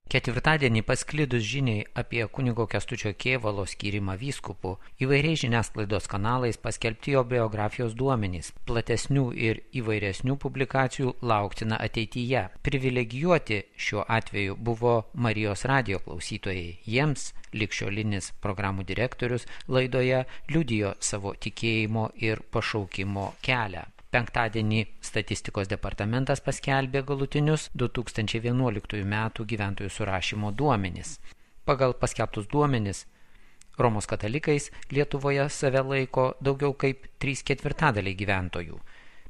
Ketvirtadienį pasklidus žiniai apie kunigo Kęstučio Kėvalo skyrimą vyskupu, įvairiais žiniasklaidos kanalais paskelbti jo biografijos duomenys. Platesnių ir įvairesnių publikacijų lauktina ateityje. Privilegijuoti šiuo atveju buvo Marijos radijo klausytojai. Jiems ligšiolinis programų direktorius laidoje liudijo savo tikėjimo ir pašaukimo kelią. Penktadienį statistikos departamentas paskelbė galutinius 2011 metų gyventojų surašymo duomenis. Pagal paskelbtus duomenis, Romos katalikais Lietuvoje save laiko daugiau kaip 3/4 gyventojų.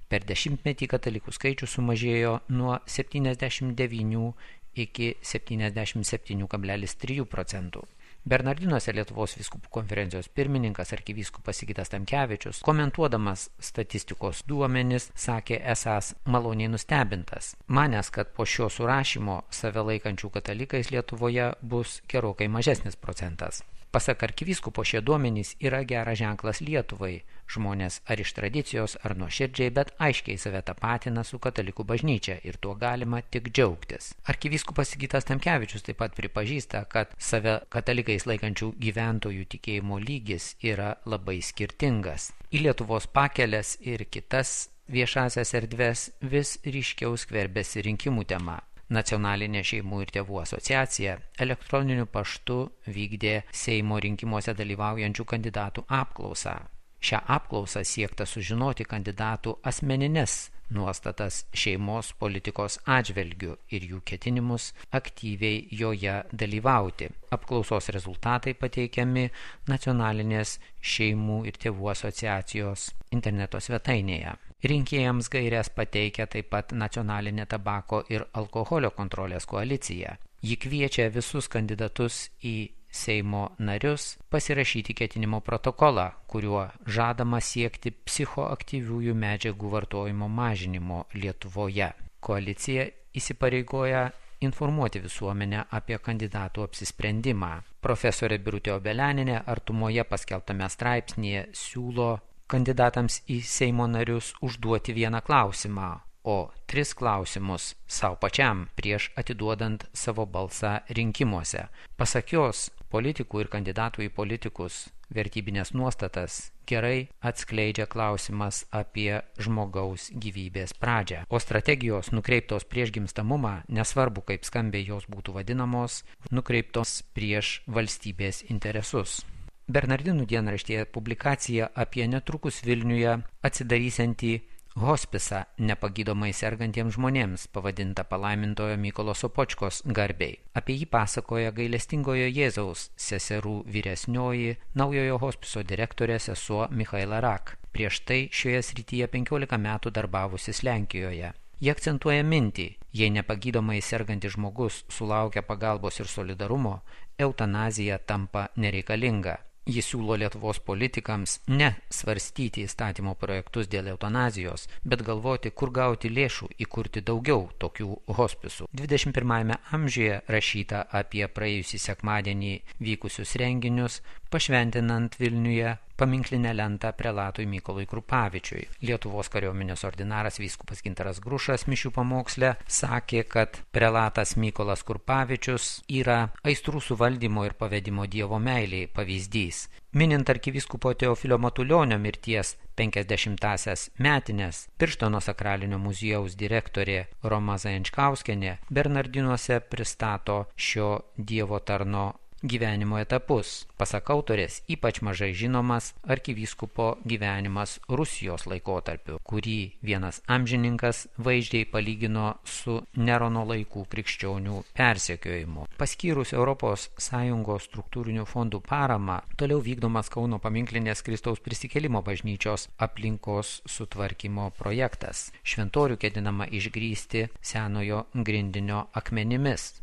Per dešimtmetį katalikų skaičius sumažėjo nuo 79 iki 77,3%. Bernardinuose Lietuvos vyskupų konferencijos pirmininkas arkivyskupas Sigitas Tamkevičius, komentuodamas statistikos duomenis, sakė esąs maloniai nustebintas. Manęs, kad po šio surašymo save laikančių katalikais Lietuvoje bus gerokai mažesnis procentas. Pasak arkivyskupo, šie duomenys yra geras ženklas Lietuvai. Žmonės ar iš tradicijos, ar nuoširdžiai, bet aiškiai save tapatina su katalikų bažnyčia ir tuo galima tik džiaugtis. Arkivyskupas Sigitas Tamkevičius taip pat pripažįsta, kad save katalikais laikančių gyventojų tikėjimo lygis yra labai skirtingas. Į Lietuvos pakeles ir kitas viešasias erdves vis ryškiau skverbėsi rinkimų tema. Nacionalinė šeimų ir tėvų asociacija elektroniniu paštu vykdė Seimo rinkimuose dalyvaujančių kandidatų apklausą. Šią apklausą siekta sužinoti kandidatų asmenines nuostatas šeimos politikos atžvelgiu ir jų ketinimus aktyviai joje dalyvauti. Apklausos rezultatai pateikiami Nacionalinės šeimų ir tėvų asociacijos interneto svetainėje. Rinkėjams gaires pateikia taip pat Nacionalinė tabako ir alkoholio kontrolės koalicija. Ji kviečia visus kandidatus į Seimo narius pasirašyti ketinimo protokolą, kuriuo žadama siekti psichoaktyviųjų medžiagų vartojimo mažinimo Lietuvoje. Koalicija įsipareigoja informuoti visuomenę apie kandidatų apsisprendimą. Profesorė Birutė Obelianinė artumoje paskelbtame straipsnėje siūlo kandidatams į Seimo narius užduoti vieną klausimą, o 3 klausimus savo pačiam prieš atiduodant savo balsą rinkimuose. Pasak jos, politikų ir kandidatų į politikus vertybinės nuostatas gerai atskleidžia klausimas apie žmogaus gyvybės pradžią. O strategijos nukreiptos prieš gimstamumą, nesvarbu kaip skambiai jos būtų vadinamos, nukreiptos prieš valstybės interesus. Bernardinų dienraštyje publikacija apie netrukus Vilniuje atsidarysiantį hospisą nepagydomai sergantiems žmonėms, pavadinta palaimintojo Mykolo Sopočkos garbei. Apie jį pasakoja gailestingojo Jėzaus seserų vyresnioji naujojo hospiso direktorė sesuo Michaela Rak. Prieš tai šioje srityje 15 metų darbavusis Lenkijoje. Jie akcentuoja mintį, jei nepagydomai sergantis žmogus sulaukia pagalbos ir solidarumo, eutanazija tampa nereikalinga. Jis siūlo Lietuvos politikams ne svarstyti įstatymo projektus dėl eutanazijos, bet galvoti, kur gauti lėšų įkurti daugiau tokių hospisų. 21 amžiuje rašyta apie praėjusį sekmadienį vykusius renginius, pašventinant Vilniuje paminklinę lentą prelatui Mykolui Krupavičiui. Lietuvos kariuomenės ordinaras vyskupas Gintaras Grušas mišių pamoksle sakė, kad prelatas Mykolas Krupavičius yra aistrų suvaldymo ir pavedimo Dievo meiliai pavyzdys. Minint arkivyskupo Teofilio Matulionio mirties 50-asias metines, Birštono sakralinio muziejaus direktorė Roma Zajančkauskienė Bernardinuose pristato šio Dievo tarno gyvenimo etapus. Pasak autorės, ypač mažai žinomas arkivyskupo gyvenimas Rusijos laikotarpiu, kurį vienas amžininkas vaizdžiai palygino su Nerono laikų krikščionių persekiojimu. Paskyrus ES struktūrinių fondų paramą, toliau vykdomas Kauno paminklinės Kristaus prisikėlimo bažnyčios aplinkos sutvarkymo projektas. Šventorių ketinama išgrįsti senojo grindinio akmenimis.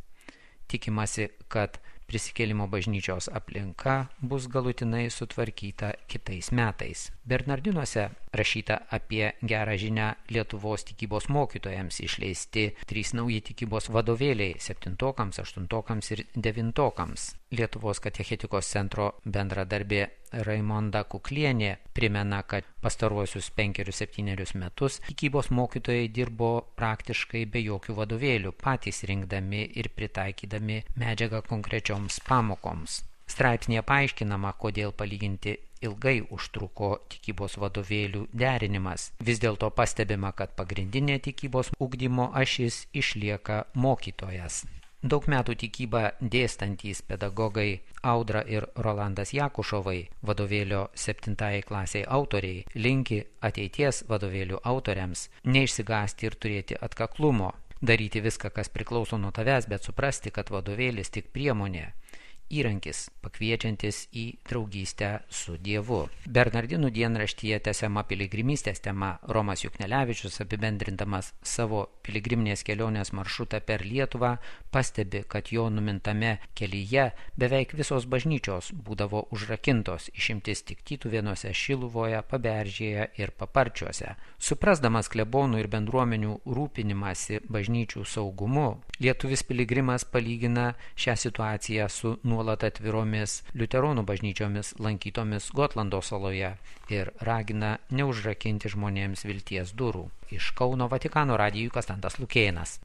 Tikimasi, kad prisikėlimo bažnyčios aplinka bus galutinai sutvarkyta kitais metais. Bernardinuose rašyta apie gerą žinią Lietuvos tikybos mokytojams, išleisti 3 nauji tikybos vadovėliai 7-okams, 8-okams ir 9-okams. Lietuvos katechetikos centro bendradarbė Raimonda Kuklienė primena, kad pastaruosius 5-7 metus tikybos mokytojai dirbo praktiškai be jokių vadovėlių, patys rinkdami ir pritaikydami medžiagą konkrečioms pamokoms. Straipsnėje paaiškinama, kodėl palyginti ilgai užtruko tikybos vadovėlių derinimas. Vis dėlto pastebima, kad pagrindinė tikybos ugdymo ašis išlieka mokytojas. Daug metų tikybą dėstantys pedagogai Audra ir Rolandas Jakušovai, vadovėlio 7 klasiai autoriai, linki ateities vadovėlių autoriams neišsigąsti ir turėti atkaklumo, daryti viską, kas priklauso nuo tavęs, bet suprasti, kad vadovėlis tik priemonė, įrankis pakviečiantis į draugystę su Dievu. Bernardinų dienraštyje tęsiama piligrimystės tema. Romas Juknelevičius, apibendrindamas savo piligriminės kelionės maršrutą per Lietuvą, pastebi, kad jo numintame kelyje beveik visos bažnyčios būdavo užrakintos, išimtis tik Tytuvėnuose, Šiluvoje, Paberžėje ir Paparčiuose. Suprasdamas klebonų ir bendruomenių rūpinimąsi bažnyčių saugumu, lietuvis piligrimas palygina šią situaciją su nuolat atviromis liuteronų bažnyčiomis lankytomis Gotlando saloje ir ragina neužrakinti žmonėms vilties durų. Iš Kauno Vatikano radijui Konstantas Lukėnas.